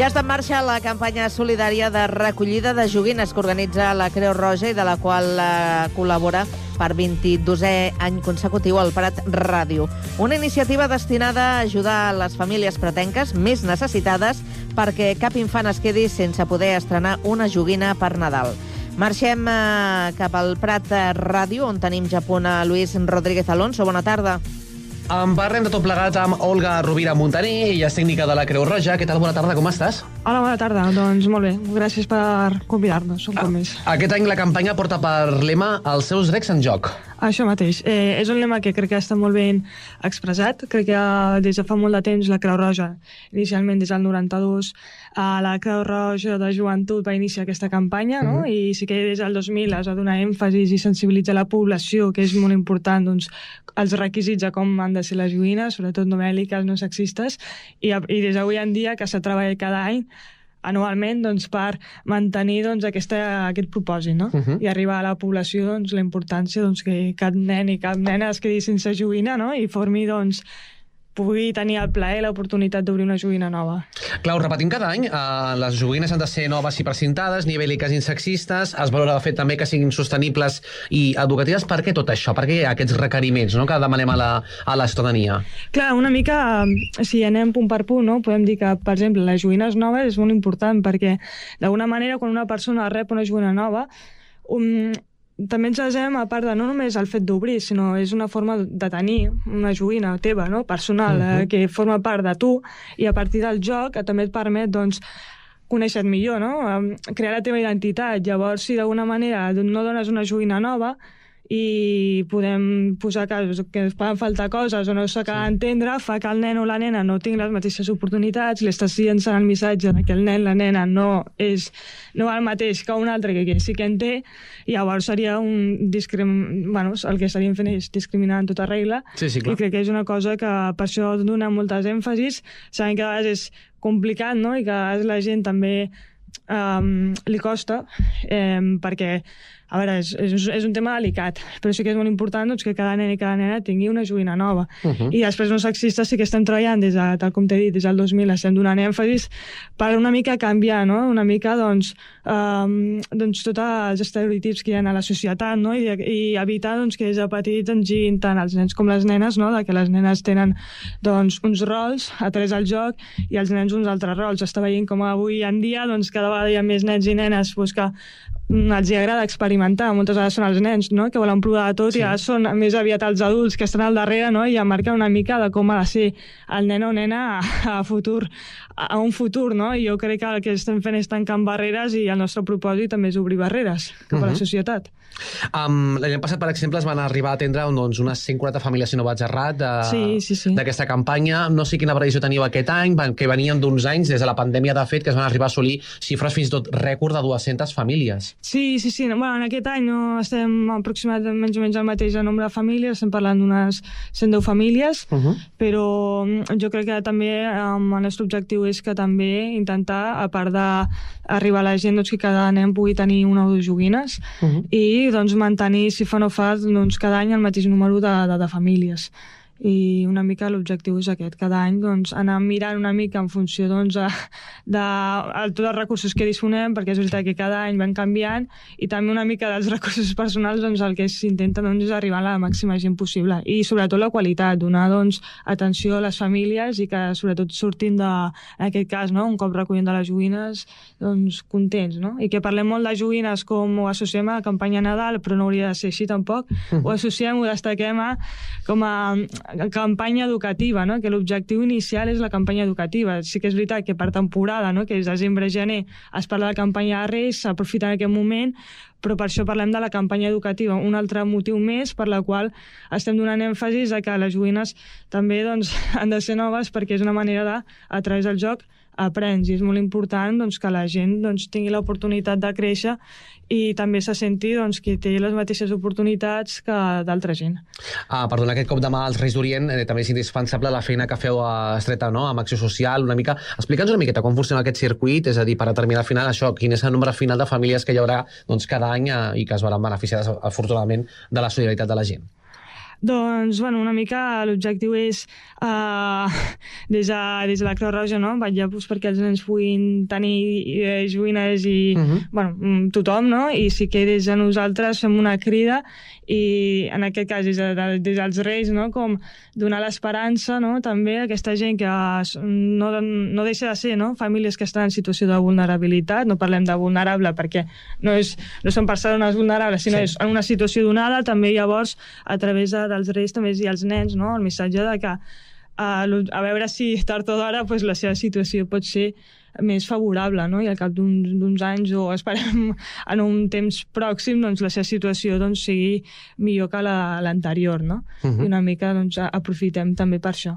Ja està en marxa la campanya solidària de recollida de joguines que organitza la Creu Roja i de la qual col·labora per 22è any consecutiu al Prat Ràdio. Una iniciativa destinada a ajudar les famílies pratenques més necessitades perquè cap infant es quedi sense poder estrenar una joguina per Nadal. Marxem cap al Prat Ràdio, on tenim ja a punt a Luis Rodríguez Alonso. Bona tarda. En parlem de tot plegat amb Olga Rovira Montaner, ella és tècnica de la Creu Roja. Què tal? Bona tarda, com estàs? Hola, bona tarda. Doncs molt bé. Gràcies per convidar-nos un cop més. Aquest any la campanya porta per lema Els seus drets en joc. Això mateix. És un lema que crec que està molt ben expressat. Crec que des de fa molt de temps la Creu Roja, inicialment des del 92, la Creu Roja de Joventut va iniciar aquesta campanya, no? I sí que des del 2000 es va donar èmfasis i sensibilitzar la població, que és molt important, doncs, els requisits de com han de ser les joguines, sobretot no bèl·liques, no sexistes, i des d'avui en dia que s'ha treballat cada any anualment, doncs, per mantenir, doncs, aquest propòsit, no? I arribar a la població, doncs, la importància, doncs, que cap nen i cap nena es quedi sense joguina, no? I formi, doncs, pugui tenir el plaer i l'oportunitat d'obrir una joguina nova. Clar, ho repetim cada any. Les joguines han de ser noves i precintades, ni bèl·liques ni sexistes. Es valora el fet també que siguin sostenibles i educatives. Per què tot això? Per què aquests requeriments, no?, que demanem a la ciutadania? Clar, una mica, si anem punt per punt, no?, podem dir que, per exemple, les joguines noves és molt important perquè, d'alguna manera, quan una persona rep una joguina nova, també ens basem, a part de no només el fet d'obrir, sinó és una forma de tenir una joguina teva, no?, personal, que forma part de tu, i a partir del joc també et permet, doncs, conèixer-te millor, no?, crear la teva identitat. Llavors, si d'alguna manera no dones una joguina nova i podem posar casos que es poden faltar coses o no s'acaba d'entendre, fa que el nen o la nena no tingui les mateixes oportunitats, li estàs llançant el missatge que el nen, la nena no el mateix que un altre que sí que en té, i llavors seria el que estaríem fent és discriminar en tota regla. Sí, clar. I crec que és una cosa que per això dona moltes èmfasis, sabent que a vegades és complicat, no?, i que a vegades la gent també li costa, perquè a veure, és un tema delicat, però sí que és molt important, doncs, que cada nen i cada nena tingui una joguina nova. I després no sexistes sí que estem treballant, tal com t'he dit, des del 2000 estem donant èmfasis per una mica canviar, no?, una mica, doncs, tots els estereotips que hi ha a la societat, no?, i evitar, doncs, que des de petits ens gin tant els nens com les nenes, no?, de que les nenes tenen, doncs, uns rols a través del joc i els nens uns altres rols. Està veient com avui en dia, doncs, cada vegada hi ha més nens i nenes que els agrada experimentar. Moltes vegades són els nens, no?, que volen provar de tot, i ara són més aviat els adults que estan al darrere, no?, i marquen una mica de com ha de ser el nen o nena a un futur, no? I jo crec que el que estem fent és tancant barreres, i el nostre propòsit també és obrir barreres cap a la societat. L'any passat, per exemple, es van arribar a atendre unes 140 famílies, si no vaig errat, d'aquesta campanya. No sé quina previsió teníeu aquest any, que venien d'uns anys, des de la pandèmia, de fet, que es van arribar a assolir xifres fins i tot rècord de 200 famílies. Sí. Bueno, en aquest any no estem aproximadament menys o menys el mateix nombre de famílies, estem parlant d'unes 110 famílies, però jo crec que també el nostre objectiu és que també intentar, a part d'arribar a la gent, doncs, que cada nen pugui tenir una o dues joguines, i doncs mantenir, si fa no fa, doncs, cada any el mateix número de famílies. I una mica l'objectiu és aquest, cada any, doncs, anar mirant una mica en funció, doncs, de tots els recursos que disponem, perquè és veritat que cada any van canviant, i també una mica dels recursos personals, doncs, el que s'intenta, doncs, és arribar a la màxima gent possible, i sobretot la qualitat, donar, doncs, atenció a les famílies, i que sobretot surtin en aquest cas, no?, un cop recollint de les joguines, doncs, contents, no?, i que parlem molt de joguines com ho associem a la campanya Nadal, però no hauria de ser així tampoc, ho associem, ho destaquem com a campanya educativa, no?, que l'objectiu inicial és la campanya educativa. Sí que és veritat que per temporada, no?, que és desembre-gener, es parla de campanya de Reis, s'aprofita en aquest moment, però per això parlem de la campanya educativa, un altre motiu més per la qual estem donant èmfasis a que les joguines també, doncs, han de ser noves, perquè és una manera de, a través del joc, aprens, i és molt important, doncs, que la gent, doncs, tingui l'oportunitat de créixer i també se senti, doncs, que té les mateixes oportunitats que d'altra gent. Perdona, aquest cop de mà als Reis d'Orient també és indispensable la feina que feu estreta, no?, amb Acció Social, una mica. Explica'ns una miqueta com funciona aquest circuit, és a dir, per determinar al final això, quin és el nombre final de famílies que hi haurà, doncs, cada any, i que es veuran beneficiades, afortunadament, de la solidaritat de la gent. Doncs, bueno, una mica l'objectiu és, des de la Creu Roja, no? Vetllar perquè els nens puguin tenir joguines i, bueno, tothom, no? I sí que des de nosaltres fem una crida i, en aquest cas, des dels Reis, no? Com donar l'esperança, no? També a aquesta gent que no deixa de ser, no? Famílies que estan en situació de vulnerabilitat, no parlem de vulnerable perquè no són persones vulnerables, sinó és en una situació donada. També llavors, a través dels Reis, també hi ha els nens, no? El missatge de que a veure si tard o d'hora la seva situació pot ser més favorable, no? I al cap d'uns anys, o esperem en un temps pròxim, doncs la seva situació sigui millor que l'anterior, no? I una mica aprofitem també per això.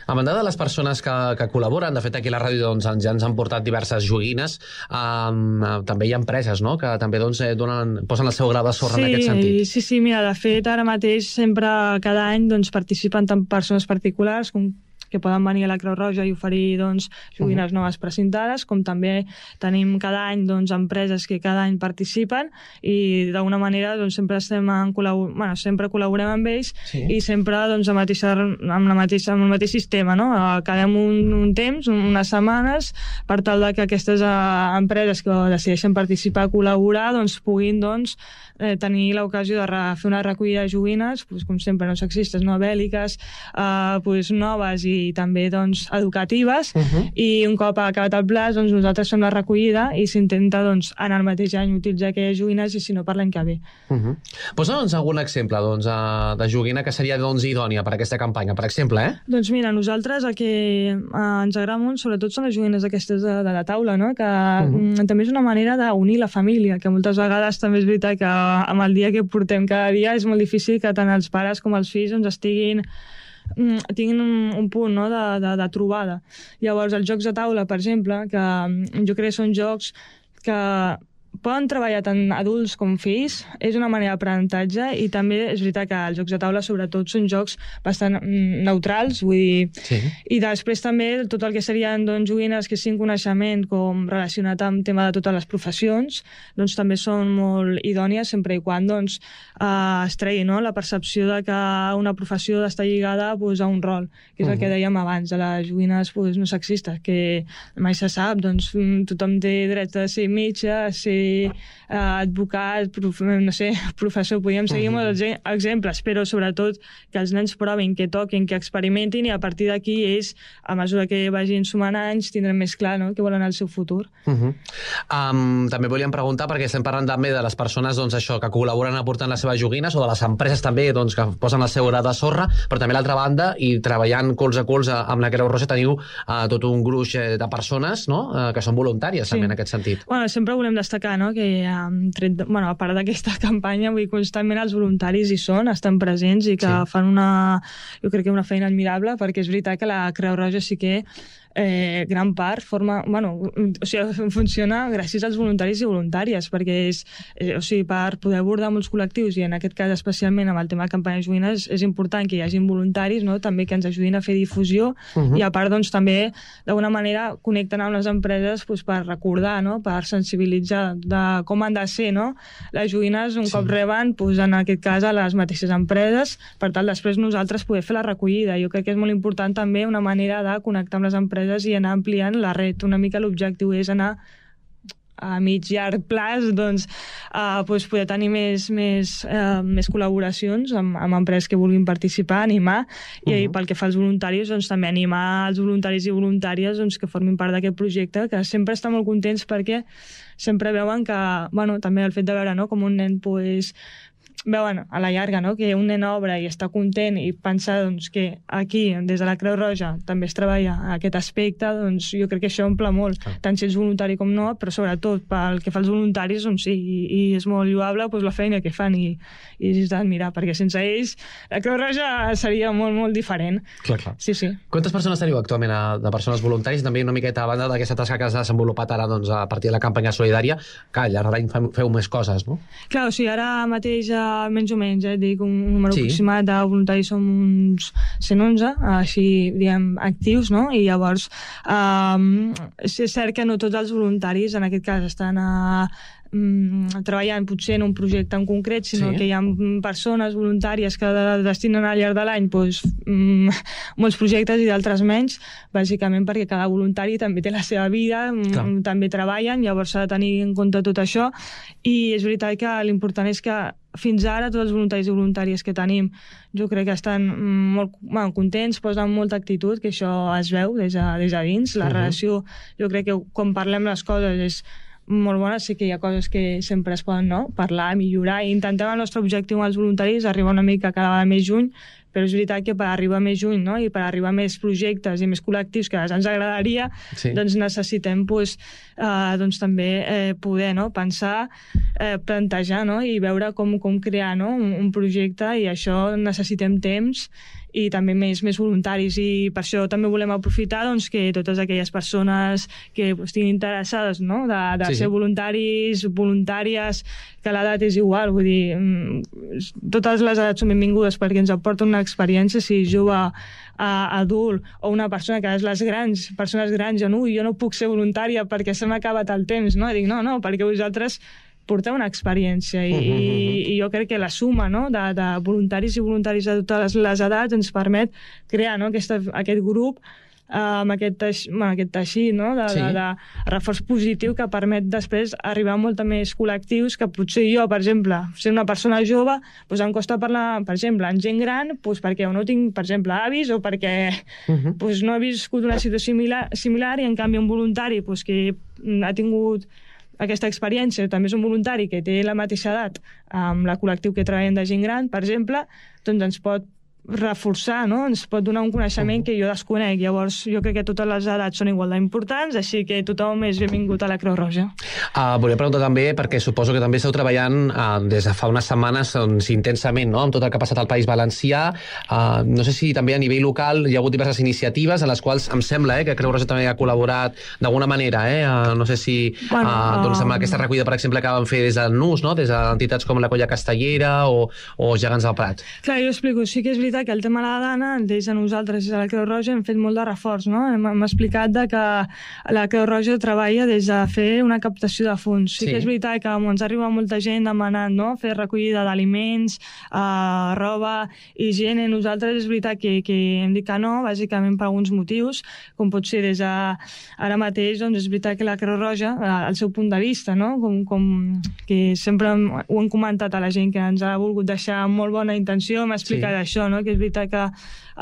A banda de les persones que col·laboren, de fet aquí a la ràdio ja ens han portat diverses joguines, també hi ha empreses, no?, que també posen el seu gra de sorra en aquest sentit. Sí, mira, de fet ara mateix sempre cada any participen tant persones particulars com que poden venir a la Creu Roja i oferir joguines noves precintades, com també tenim cada any empreses que cada any participen i d'alguna manera sempre sempre col·laborem amb ells i sempre amb el mateix sistema, no? Quedem un temps, unes setmanes, per tal que aquestes empreses que decideixen participar, col·laborar, puguin tenir l'ocasió de fer una recollida de joguines, com sempre, no sexistes, no bèl·liques, noves i també educatives, i un cop acabat el plaç nosaltres fem la recollida i s'intenta en el mateix any utilitzar aquelles joguines i si no per l'any que ve. Posa'ns algun exemple de joguina que seria idònia per aquesta campanya, per exemple, Doncs mira, nosaltres el que ens agrada molt sobretot són les joguines aquestes de la taula, no? Que també és una manera d'unir la família, que moltes vegades també és veritat que amb el dia que portem cada dia és molt difícil que tant els pares com els fills tinguin un punt, no?, de trobada. Llavors, els jocs de taula, per exemple, que jo crec que són jocs que poden treballar tant adults com fills, és una manera d'aprenentatge i també és veritat que els jocs de taula sobretot són jocs bastant neutrals, vull dir, i després també tot el que serien joguines que siguin coneixement com relacionat amb tema de totes les professions, també són molt idònies sempre i quan es tregui, no?, la percepció de que una professió està lligada a un rol, que és el que dèiem abans de les joguines no sexistes, que mai se sap, tothom té dret a ser metge, a ser advocat, no sé, professor, podríem seguir molts exemples, però sobretot que els nens provin, que toquin, que experimentin i a partir d'aquí ells, a mesura que vagin sumant anys, tindran més clar, no?, què volen al seu futur. També volíem preguntar, perquè estem parlant també de les persones que col·laboren aportant les seves joguines o de les empreses també que posen el seu gra de sorra, però també l'altra banda, i treballant colze a colze amb la Creu Roja, teniu tot un gruix de persones, no?, que són voluntàries també en aquest sentit. Sempre volem destacar, no?, que a part d'aquesta campanya, constantment els voluntaris hi són, estan presents i que fan jo crec que una feina admirable, perquè és veritat que la Creu Roja sí que gran part funciona gràcies als voluntaris i voluntàries, perquè per poder abordar molts col·lectius i en aquest cas especialment amb el tema de campanya de joguines és important que hi hagin voluntaris, no?, també que ens ajudin a fer difusió i a part també d'alguna manera connecten amb les empreses per recordar, no?, per sensibilitzar de com han de ser, no?, les joguines un cop reben en aquest cas a les mateixes empreses, per tal després nosaltres poder fer la recollida. Jo crec que és molt important també una manera de connectar amb les empreses i anar ampliant la red. Una mica l'objectiu és anar a mig llarg plaç poder tenir més col·laboracions amb empreses que vulguin participar, animar, i pel que fa als voluntaris també animar els voluntaris i voluntàries que formin part d'aquest projecte, que sempre estan molt contents perquè sempre veuen que, també el fet de veure com un nen veuen a la llarga, no?, que un nen obre i està content i pensar que aquí, des de la Creu Roja, també es treballa aquest aspecte, jo crec que això omple molt, tant si ets voluntari com no, però sobretot pel que fa als voluntaris, sí, i és molt lloable la feina que fan i és d'admirar, perquè sense ells la Creu Roja seria molt, molt diferent. Clar. Sí. Quantes persones teniu actualment de persones voluntaris? També una miqueta a banda d'aquesta tasca que has desenvolupat ara a partir de la campanya solidària, que al llarg de l'any feu més coses, no? Clar, ara mateix menys o menys, dic un número aproximat de voluntaris som uns 111, així, diguem, actius, no? I llavors és cert que no tots els voluntaris en aquest cas estan treballant potser en un projecte en concret, sinó que hi ha persones voluntàries que destinen al llarg de l'any molts projectes i d'altres menys, bàsicament perquè cada voluntari també té la seva vida, també treballen, llavors s'ha de tenir en compte tot això, i és veritat que l'important és que fins ara tots els voluntaris i voluntàries que tenim jo crec que estan molt contents, posen molta actitud, que això es veu des de dins, la relació, jo crec que quan parlem les coses és molt bona, sí que hi ha coses que sempre es poden parlar, millorar, i intentem el nostre objectiu amb els voluntaris arribar una mica cada vegada més juny, però és veritat que per arribar més juny i per arribar a més projectes i més col·lectius que ens agradaria, doncs necessitem també poder pensar, plantejar i veure com crear un projecte, i això necessitem temps i també més voluntaris, i per això també volem aprofitar que totes aquelles persones que estiguin interessades de ser voluntaris, voluntàries, que l'edat és igual, vull dir, totes les edats són benvingudes perquè ens aporten una experiència, si jove, adult o una persona que és les persones grans, jo no puc ser voluntària perquè se m'ha acabat el temps, dic no, perquè vosaltres portar una experiència i jo crec que la suma de voluntaris i voluntaris de totes les edats ens permet crear aquest grup amb aquest teixit de reforç positiu que permet després arribar a molta més col·lectius, que potser jo, per exemple, ser una persona jove, em costa parlar, per exemple, amb gent gran, perquè no tinc, per exemple, avis, o perquè no he viscut una situació similar, i en canvi un voluntari que ha tingut aquesta experiència, també és un voluntari que té la mateixa edat amb la col·lectiu que treballem de gent gran, per exemple, doncs ens pot reforçar, ens pot donar un coneixement que jo desconec. Llavors, jo crec que totes les edats són igual d'importants, així que tothom és benvingut a la Creu Roja. Volia preguntar també, perquè suposo que també esteu treballant des de fa unes setmanes intensament, amb tot el que ha passat al País Valencià. No sé si també a nivell local hi ha hagut diverses iniciatives en les quals em sembla que Creu Roja també ha col·laborat d'alguna manera. No sé si amb aquesta recollida, per exemple, que van fer des del NUS, des d'entitats com la Colla Castellera o Gegants del Prat. Clar, jo explico. Sí que és veritat que el tema de la dana, des de nosaltres, des de la Creu Roja, hem fet molt de reforç. Hem explicat que la Creu Roja treballa des de fer una captació de fons. Sí que és veritat que ens arriba molta gent demanant fer recollida d'aliments, roba, higiene. Nosaltres és veritat que hem dit que no, bàsicament per alguns motius, com pot ser des de ara mateix, doncs és veritat que la Creu Roja, al seu punt de vista, com que sempre ho hem comentat a la gent que ens ha volgut deixar amb molt bona intenció, hem explicat això, que és veritat que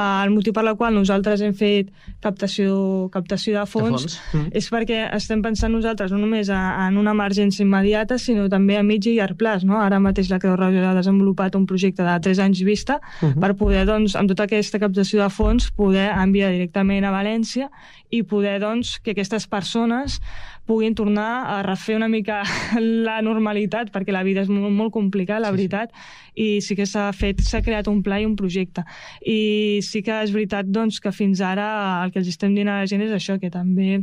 el motiu per la qual nosaltres hem fet captació de fons és perquè estem pensant nosaltres no només en una emergència immediata, sinó també a mitjà i llarg plaç. Ara mateix la Creu Roja ha desenvolupat un projecte de 3 anys vista per poder, amb tota aquesta captació de fons, poder enviar directament a València i poder, que aquestes persones puguin tornar a refer una mica la normalitat, perquè la vida és molt complicada, la veritat, i sí que s'ha creat un pla i un projecte. I sí que és veritat que fins ara el que els estem dient a la gent és això, que també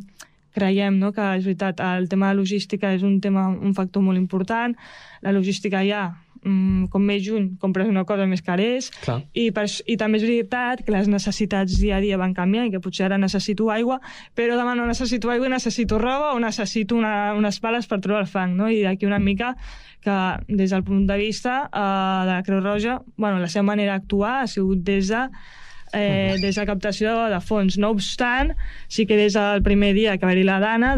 creiem que és veritat, el tema de logística és un factor molt important. La logística ja, com més juny, compres una cosa més cara és, i també és veritat que les necessitats dia a dia van canviant, i que potser ara necessito aigua, però demà no necessito aigua i necessito roba, o necessito unes pales per trobar el fang, i d'aquí una mica que des del punt de vista de la Creu Roja, la seva manera d'actuar ha sigut des de captació de fons. No obstant, sí que des del primer dia que va haver-hi la dana,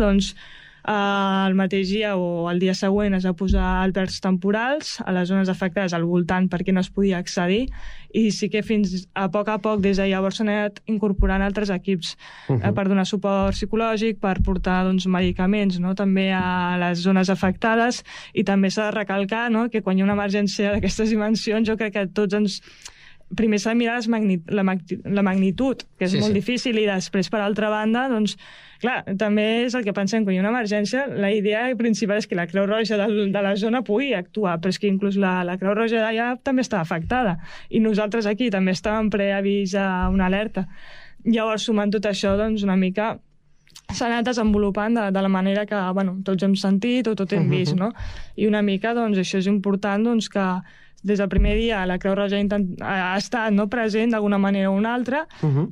el mateix dia o el dia següent es va posar albergs temporals a les zones afectades al voltant perquè no es podia accedir, i sí que fins a poc des de llavors s'han anat incorporant altres equips per donar suport psicològic, per portar medicaments també a les zones afectades. I també s'ha de recalcar que quan hi ha una emergència d'aquestes dimensions, jo crec que tots primer s'ha de mirar la magnitud, que és molt difícil, i després, per altra banda, clar, també és el que pensem, quan hi ha una emergència, la idea principal és que la Creu Roja de la zona pugui actuar, però és que inclús la Creu Roja d'allà també està afectada, i nosaltres aquí també estàvem preavís a una alerta. Llavors, sumant tot això, una mica s'ha anat desenvolupant de la manera que tots hem sentit o tot hem vist, no? I una mica, doncs, això és important, doncs, que des del primer dia la Creu Roja ha estat present d'alguna manera o una altra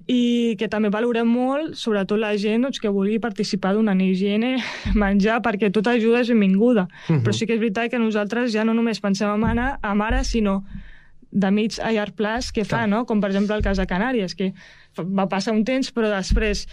i que també valorem molt, sobretot la gent que vulgui participar d'una higiene, menjar, perquè tota ajuda és benvinguda. Però sí que és veritat que nosaltres ja no només pensem en ara, sinó de mig a llarg plaç què fa, no? Com per exemple el cas de Canàries, que va passar un temps però després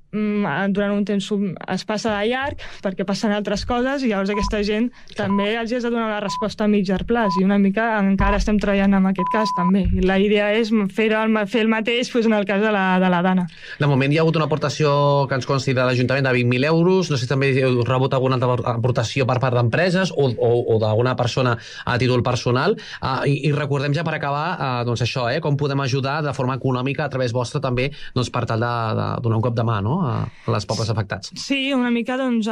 durant un temps es passa de llarg perquè passen altres coses i llavors aquesta gent també els has de donar la resposta a mitjà plaç i una mica encara estem treballant en aquest cas també. I la idea és fer el mateix en el cas de la Dana. De moment hi ha hagut una aportació que ens consti de l'Ajuntament de 20.000 euros, no sé si també heu rebut alguna aportació per part d'empreses o d'alguna persona a títol personal i recordem ja per acabar doncs això, com podem ajudar de forma econòmica a través vostre també per tal de donar un cop de mà, no? A les pobles afectats. Sí, una mica, doncs,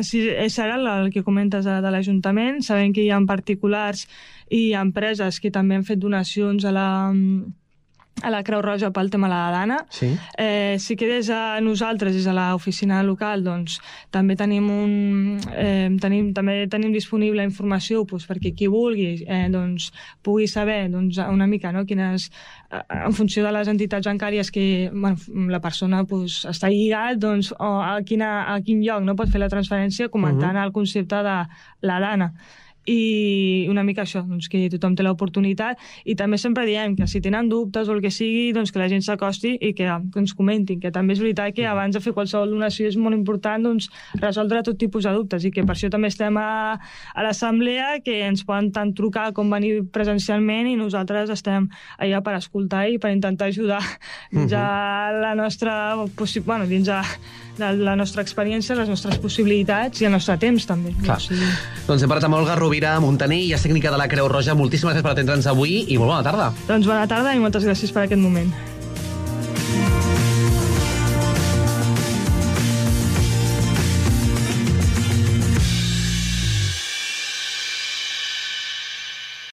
serà el que comentes de l'Ajuntament. Sabem que hi ha particulars i empreses que també han fet donacions a la Creu Roja pel tema de la Dana. Sí que des de nosaltres, des de l'oficina local, doncs, també tenim disponible informació perquè qui vulgui pugui saber una mica quines, en funció de les entitats bancàries que la persona està lligat, a quin lloc no pot fer la transferència, comentant el concepte de la Dana. I una mica això, que tothom té l'oportunitat i també sempre diem que si tenen dubtes o el que sigui, que la gent s'acosti i que ens comentin, que també és veritat que abans de fer qualsevol donació és molt important resoldre tot tipus de dubtes i que per això també estem a l'assemblea, que ens poden tant trucar com venir presencialment i nosaltres estem allà per escoltar i per intentar ajudar ja la nostra dins de la nostra experiència, les nostres possibilitats i el nostre temps també. Doncs hem parlat amb Olga Rovira Montaner, i és tècnica de la Creu Roja. Moltíssimes gràcies per atendre'ns avui i molt bona tarda. Doncs bona tarda i moltes gràcies per aquest moment.